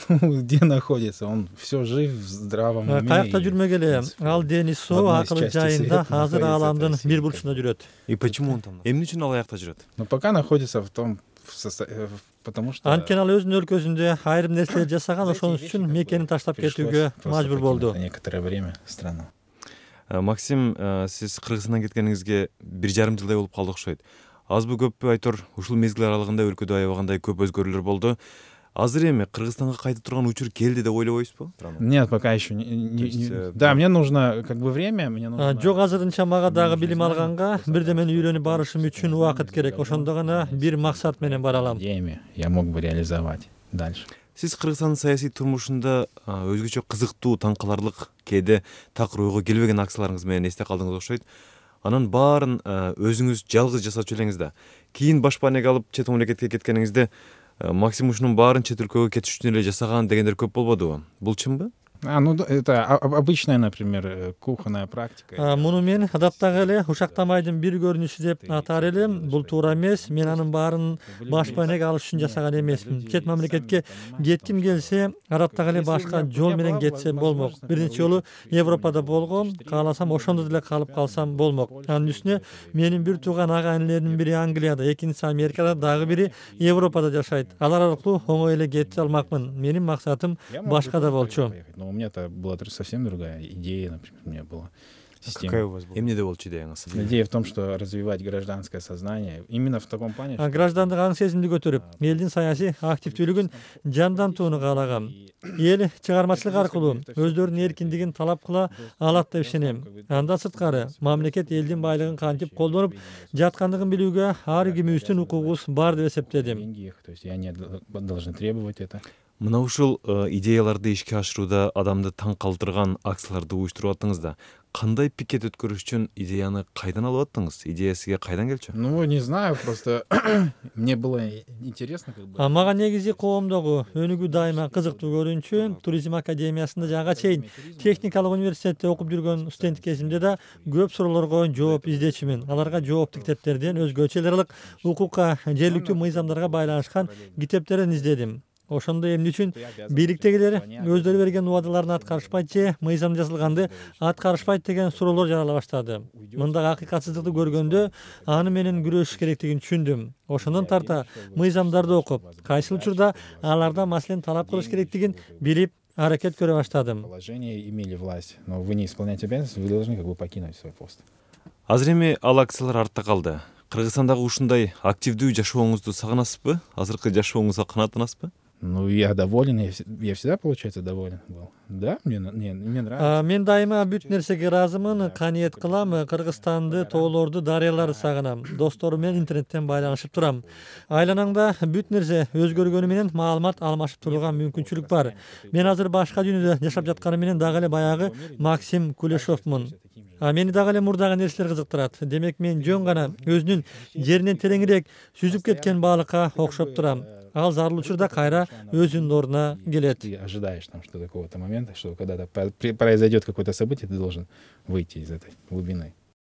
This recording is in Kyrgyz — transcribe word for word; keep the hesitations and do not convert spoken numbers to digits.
где находится, он все жив, в здравом уме. Каякта жүрмөгеле, ал дени соо акыры жайында азыр ааламдын бир бурчунда жүрөт. И почему он там? Эмне үчүн ал аякта жүрөт? Но пока находится в том, потому что анткени ал өзүнүн өлкөсүндө айрым нерселер жасаган, ошон үчүн мекенин таштап кетүүгө мажбур болду. на некоторое время страну. Максим, сиз Кыргызстандан кеткениңизге бир жарым жылдай болуп калды окшойт. Азбы көппү айтор ушул мезгил аралыгында өлкөдө аябагандай көп өзгөрүүлөр болду. Азыр эми Кыргызстанга кайта турган учур келди деп ойлобойсузбу? Нет, пока еще не, не, есть, не... э, Да, мне нужно как бы время, мне нужно. Жок, азырынча мага дагы билим алганга, бирдемени үйрөнүп барышым үчүн убакыт керек. Ошондо гана бир максат менен бара алам. Идеями я мог бы реализовать дальше. Сиз Кыргызстандын саясий турмушунда өзгөчө кызыктуу, таң каларлык, кээде такыр ойго келбеген акцияларыңыз менен эсте калдыңыз окшойт. Анын баарын өзүңүз жалгыз жасачу элеңиз да. Кийин башпанеге алып чет мамлекетке кеткениңизде Максим ушунун баарын чет өлкөгө кетиш үчүн эле жасаган дегендер көп болбодубу? Бул чынбы? А, ну это обычная, например, кухонная практика. Муну мен адаттагы эле ушактамайдын бир көрүнүшү деп атар элем. Бул туура эмес. Мен анын баарын башпанеге алыш үчүн жасаган эмесмин. Чет мамлекетке кетким келсе, адаттагы эле башка жол менен кетсе болмок. Бир нече жолу Европада болгом, кааласам ошондо деле калып калсам болмок. Анын үстүнө менин бир тууган ага инилердин бири Англияда, экинчиси Америкада, дагы бири Европада жашайт. Алар аркылуу оңой эле кете алмакмын. Менин максатым башкада болчу. Но у меня-то была совсем другая идея, например, у меня была система. Какая у вас была? Эмнеде болчу идеяңыз? Идея в том, что развивать гражданское сознание именно в таком плане. Граждандык аң сезимди көтөрүп, элдин саясий активдүүлүгүн жандантууну каалагам. Эл чыгармачылык аркылуу өздөрүнүн эркиндигин талап кыла алат деп ишенем. Андан сырткары мамлекет элдин байлыгын кантип колдонуп жаткандыгын билүүгө ар кимибиздин укугубуз бар деп эсептедим. То есть они должны требовать это. Мына ушул идеяларды ишке ашырууда адамды таң калтырган акцияларды уюштуруп аттыңыз да. Кандай пикет өткөрүш үчүн идеяны кайдан алып аттыңыз? Идея сизге кайдан келчү? Ну, не знаю, просто мне было интересно как бы. Мага негизи коомдогу өнүгүү дайыма кызыктуу көрүнчү. Туризм академиясында жага чейин техникалык университетте окуп жүргөн студент кезимде да көп суроолорго жооп издечүмүн. Аларга жоопту китептерден өзгөчө эл аралык укукка, жергиликтүү мыйзамдарга байланышкан китептерден издедим. Ошондо эмне үчүн бийликтегилер өздөрү берген убадаларын аткарышпайт же мыйзам жазылганды аткарышпайт деген суроолор жарала баштады. Мындагы акыйкатсыздыкты көргөндө аны менен күрөшүш керектигин түшүндүм. Ошондон тарта мыйзамдарды окуп, кайсыл учурда алардан маселени талап кылыш керектигин билип аракет көрө баштадым. Положение имели власть, но вы не исполняете обязанности, вы должны как бы покинуть свой пост. Азыр эми ал акциялар артта калды. Кыргызстандагы ушундай активдүү жашооңузду сагынасызбы? Азыркы жашооңузга канааттанасызбы? Ну, я доволен, я, я всегда, получается, доволен был. Да, мне, не, мне нравится. Мен дайыма бүт нерсеге ыраазымын, каниет кылам, Кыргызстанды, тоолорду, дарыяларды сагынам. Досторум менен интернеттен байланышып турам. Айланаңда бүт нерсе өзгөргөнү менен маалымат алмашып турууга мүмкүнчүлүк бар. Мен азыр башка дүйнөдө жашап жатканым менен дагы эле баягы Максим Кулешовмун. А мени дагы эле мурдагы нерселер кызыктырат. Демек мен жөн гана өзүнүн жеринен тереңирээк сүзүп кеткен балыкка окшоп турам. Ал зарыл учурда кайра өзүнүн ордуна келет. Ты ожидаешь там, что какого-то момента, что когда-то произойдет какое-то событие, ты должен выйти из этой глубины.